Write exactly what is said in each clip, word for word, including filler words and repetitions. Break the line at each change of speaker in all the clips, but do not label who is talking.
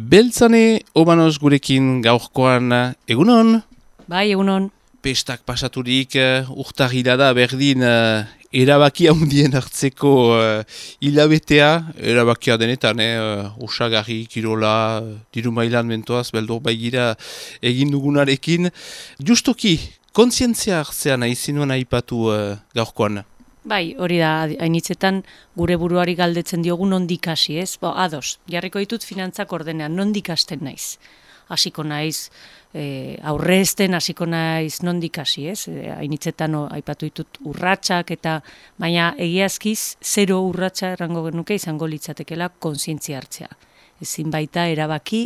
Beltzane Obanos gurekin gaurkoan egunon?
Bai, egunon.
Pestak pasaturik uh, urtarrila da berdin uh, erabaki handien hartzeko uh, hilabetea, erabakia denetan, eh, uh, osagarri, kirola, uh, diru mailan mentoaz, beldur baigira egin dugunarekin. Justoki, kontzientzia hartzea nahi zinuen aipatu uh, gaurkoan?
Bai, hori da, hainitzetan gure buruari galdetzen diogu nondik hasi, ez? Bo, ados, jarriko ditut finantzak ordenean, nondik hasten naiz. Hasiko naiz, e, aurrezten hasiko naiz nondik hasi, ez? E, hainitzetan o, aipatu ditut urratsak eta baina egiazkiz zero urratsa errango genuke izango litzatekela kontzientzia hartzea. Ezin baita erabaki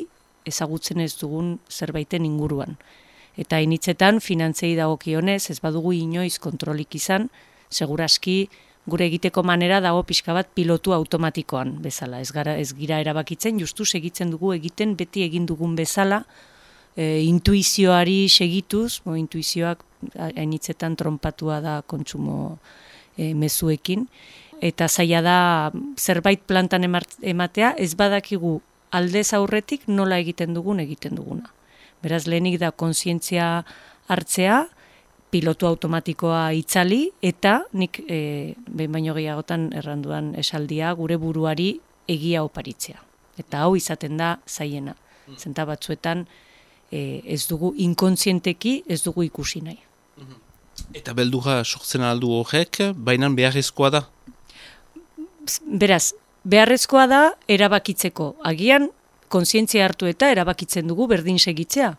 ezagutzen ez dugun zerbaiten inguruan. Eta hainitzetan finantzei dagokionez, ez badugu inoiz kontrolik izan, seguraski gure egiteko manera dago pixka bat pilotu automatikoan bezala. Ez gara ez gira erabakitzen, justu segitzen dugu egiten beti egin dugun bezala, e, intuizioari segituz, bo, intuizioak hainitzetan tronpatua da kontsumo e, mezuekin, eta zaila da zerbait plantan ematea, ez badakigu aldez aurretik nola egiten dugun egiten duguna. Beraz, lehenik da kontzientzia hartzea, pilotu automatikoa itzali, eta nik e, behin baino gehiagotan erranduan esaldia gure buruari egia oparitzea. Eta hau izaten da zaiena. Zenta batzuetan e, ez dugu inkontzienteki ez dugu ikusi nahi.
Eta beldurra sortzen aldu horrek, baina beharrezkoa da?
Beraz, beharrezkoa da erabakitzeko. Agian kontzientzia hartu eta erabakitzen dugu berdin segitzea.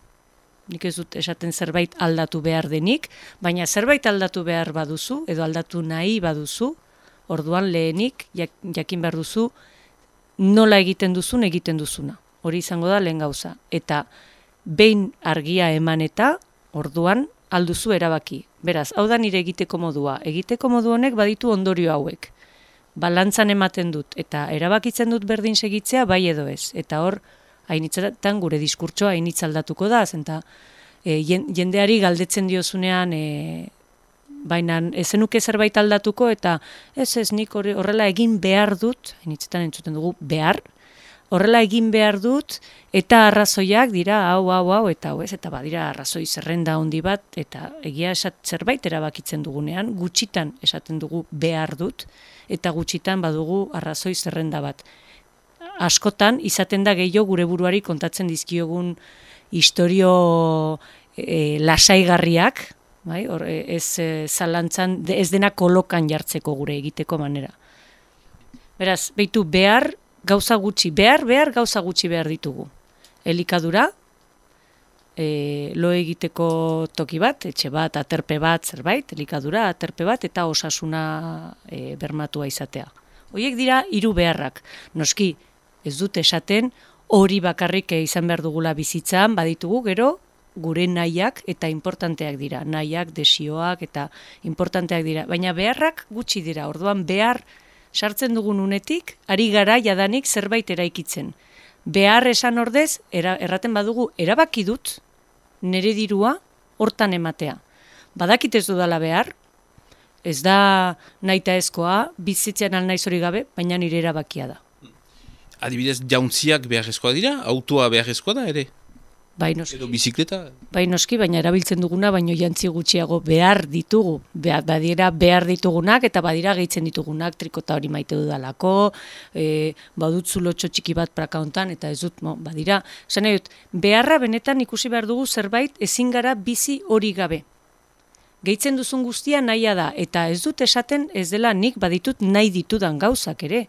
Nik ez dut esaten zerbait aldatu behar denik, baina zerbait aldatu behar baduzu, edo aldatu nahi baduzu, orduan lehenik jakin behar duzu nola egiten duzun egiten duzuna. Hori izango da lehen gauza. Eta behin argia eman eta orduan alduzu erabaki. Beraz, hau da nire egiteko modua. Egiteko modu honek baditu ondorio hauek. Balantzan ematen dut eta erabakitzen dut berdin segitzea bai edo ez. Eta hor, hainitzetan gure diskurtsoa hainitz aldatuko da, zenta e, jendeari galdetzen diozunean, e, baina ezenuke zerbait aldatuko, eta ez ez nik horrela egin behar dut, hainitzetan entzuten dugu behar, horrela egin behar dut, eta arrazoiak dira hau, hau, hau, eta hau ez, eta badira arrazoi zerrenda handi bat, eta egia esat zerbait erabakitzen dugunean, gutxitan esaten dugu behar dut, eta gutxitan badugu arrazoi zerrenda bat. Askotan, izaten da gehiago gure buruari kontatzen dizkiogun istorio e, lasaigarriak, bai? Or, ez e, zalantzan, ez dena kolokan jartzeko gure egiteko manera. Beraz, behitu behar gauza gutxi, behar, behar gauza gutxi behar ditugu. Elikadura, e, lo egiteko toki bat, etxe bat, aterpe bat, zerbait, elikadura, aterpe bat, eta osasuna e, bermatua izatea. Horiek dira hiru beharrak. Noski, ez dut esaten hori bakarrik izan behar dugula bizitzan, baditugu gero gure nahiak eta importanteak dira. Nahiak, desioak eta importanteak dira. Baina beharrak gutxi dira. Orduan behar sartzen dugun unetik, ari gara jadanik zerbait eraikitzen. Behar esan ordez, era, erraten badugu, erabaki dut nire dirua hortan ematea. Badakit ez dudala behar, ez da nahita ezkoa, bizitzean alnaiz hori gabe, baina nire erabakia da.
Adibidez, jauntziak beharrezkoa dira? Autoa beharrezkoa da ere?
Bai noski.
Edo bizikleta?
Bai noski, baina erabiltzen duguna, baino jantzi gutxiago behar ditugu. Be- badira behar ditugunak eta badira gehitzen ditugunak, trikota hori maite dudalako, e, badut zulotxo txiki bat praka hontan, eta ez dut, mo, badira. Esan nahi dut, beharra benetan ikusi behar dugu zerbait ezin gara bizi hori gabe. Gehitzen duzun guztia nahia da, eta ez dut esaten ez dela nik baditut nahi ditudan gauzak ere.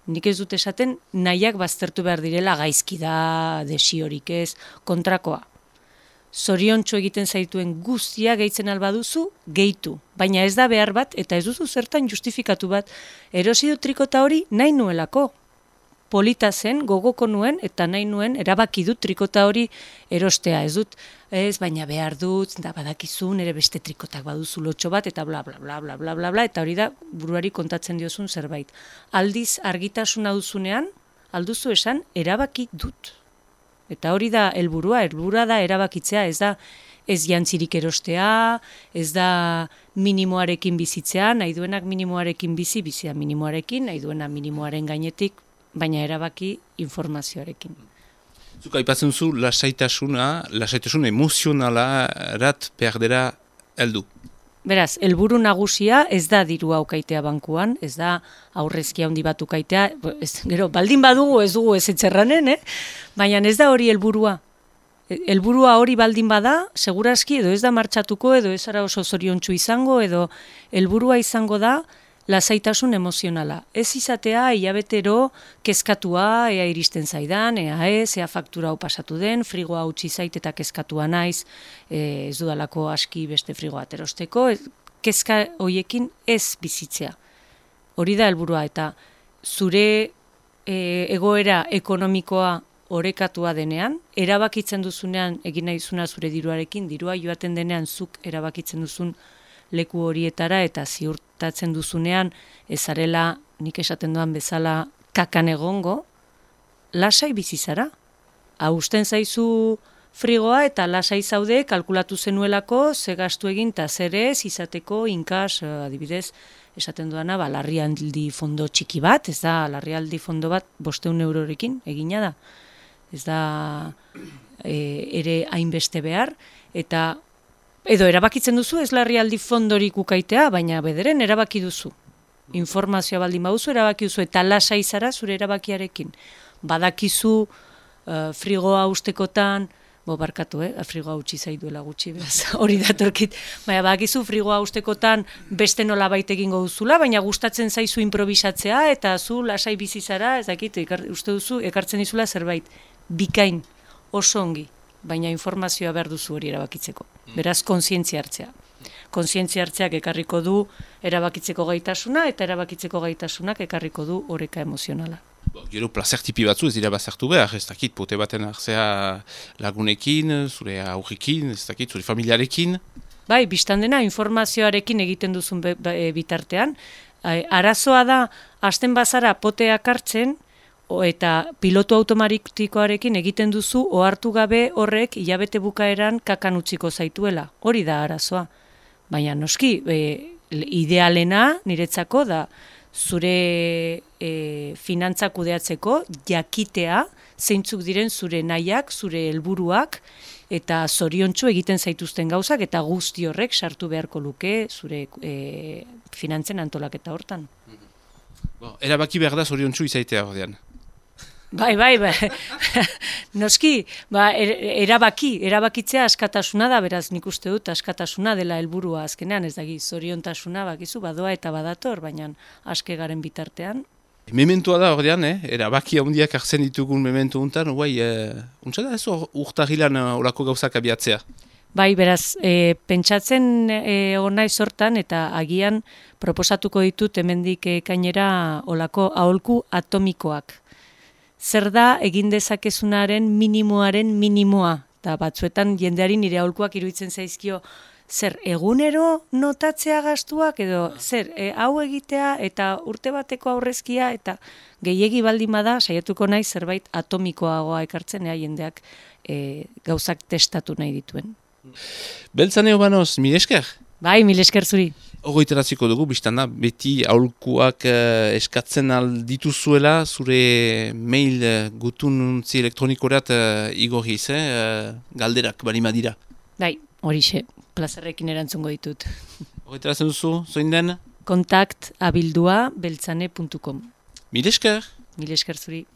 Nik ez dut esaten nahiak baztertu behar direla gaizki da, desiorik ez, kontrakoa. Zoriontsu egiten zaituen guztia gehitzen albaduzu, gehitu. Baina ez da behar bat, eta ez duzu zertan justifikatu bat, erosi dut trikota hori nahi nuelako. Polita zen, gogoko nuen, eta nahi nuen, erabaki dut trikota hori erostea. Ez dut, ez, baina behar dut, da badakizu, nire beste trikotak baduzu lotxo bat, eta bla, bla, bla, bla, bla, bla, bla, eta hori da buruari kontatzen diozun zerbait. Aldiz, argitasuna duzunean, alduzu esan, erabaki dut. Eta hori da helburua, helburua da erabakitzea, ez da ez jantzirik erostea, ez da minimoarekin bizitzea, nahi duenak minimoarekin bizi, bizia minimoarekin, nahi duena minimoaren gainetik, baina erabaki informazioarekin.
Zuk aipatzen zu lasaitasuna, lasaitasun emozionala rat perdera heldu.
Beraz, helburu nagusia ez da dirua ukaitea bankuan, ez da aurrezki handi bat ukaitea, ez, gero, baldin badugu ez dugu ez etxerranen, eh? Baina ez da hori helburua. Helburua hori baldin bada, seguraski edo ez da martxatuko, edo ez ara oso zoriontsu izango, edo helburua izango da lasaitasun emozionala. Ez izatea hilabetero kezkatua, ea iristen zaidan, ea ez, ea faktura hau pasatu den, frigoa utzi zait eta kezkatua naiz, e, ez dudalako aski beste frigoa aterosteko, ez, kezka hoiekin ez bizitzea. Hori da helburua eta zure e, egoera ekonomikoa orekatua denean, erabakitzen duzunean egin nahizuna zure diruarekin, dirua joaten denean zuk erabakitzen duzun leku horietara eta ziurtatzen duzunean ezarela, nik esaten duan bezala, kakan egongo, lasai bizizara. Hausten zaizu frigoa eta lasai zaude kalkulatu zenuelako ze gastu egin eta zer ez izateko inkas, adibidez, esaten duana, ba, larrialdi fondo txiki bat, ez da, larrialdi fondo bat bosteun eurorekin egina da. Ez da e, ere hainbeste behar, eta edo erabakitzen duzu ez larrialdi fondorik ukaitea, baina bederen erabaki duzu. Informazioa baldin baduzu erabaki duzu eta lasai zara zure erabakiarekin. Badakizu uh, frigoa ustekotan, bo barkatu, eh? frigoa utzi zaiduela gutxi, beraz, hori datorkit. Baina badakizu frigoa ustekotan beste nola baita egingo duzula, baina gustatzen zaizu improvisatzea eta zu lasai bizi zara, ez dakit, ekar, uste duzu ekartzen dizula zerbait bikain, oso ongi. Baina informazioa behar duzu hori erabakitzeko. Beraz, kontzientzia hartzea. Kontzientzia hartzeak ekarriko du erabakitzeko gaitasuna, eta erabakitzeko gaitasunak ekarriko du oreka emozionala.
Gero plazer tipi batzu ez dira bazartu behar, ez dakit, pote baten hartzea lagunekin, zure aurrekin, ez dakit, zure familiarekin.
Bai, biztan dena informazioarekin egiten duzun be, be, bitartean. Arazoa da, hasten bazara poteak hartzen, eta pilotu automatikoarekin egiten duzu ohartu gabe horrek hilabete bukaeran kakan utziko zaituela. Hori da arazoa. Baina noski, e, idealena niretzako da zure e, finantzak kudeatzeko jakitea zeintzuk diren zure nahiak, zure helburuak eta zoriontsu egiten zaituzten gauzak eta guzti horrek sartu beharko luke zure e, finantzen antolaketa hortan.
Bo, erabaki behar da zoriontsu izaitea ordean.
Bai, bai, bai. Noski, ba, er, erabaki, erabakitzea askatasuna da, beraz nik uste dut askatasuna dela helburua azkenean, ez dagi, zoriontasuna bakizu badoa eta badator, baina aske garen bitartean.
Mementoa da ordean, eh? Erabaki handiak hartzen ditugun memento untan, guai, eh, untsa da ez urtahilan olako gauzak abiatzea?
Bai, beraz, e, pentsatzen e, onai sortan eta agian proposatuko ditut hemendik ekainera olako aholku atomikoak. Zer da egin dezakezunaren minimoaren minimoa. Eta batzuetan jendeari nire aholkuak iruditzen zaizkio, zer egunero notatzea gastuak edo zer e, hau egitea eta urte bateko aurrezkia eta gehiegi baldin bada saiatuko naiz zerbait atomikoagoa ekartzen ea jendeak e, gauzak testatu nahi dituen.
Beltzane Obanoz, mil esker?
Bai, mil esker zuri.
Ogoiteratziko dugu, biztanda, beti aholkuak uh, eskatzen aldituzuela, zure mail uh, gutununtzi elektronikorat uh, igorriz, eh? uh, galderak balima dira.
Bai, horixe, plazerrekin erantzungo ditut.
Ogoiteratzen duzu, zoin den?
Kontakt abildua beltzane puntu com.
Mil esker?
Mil esker zuri.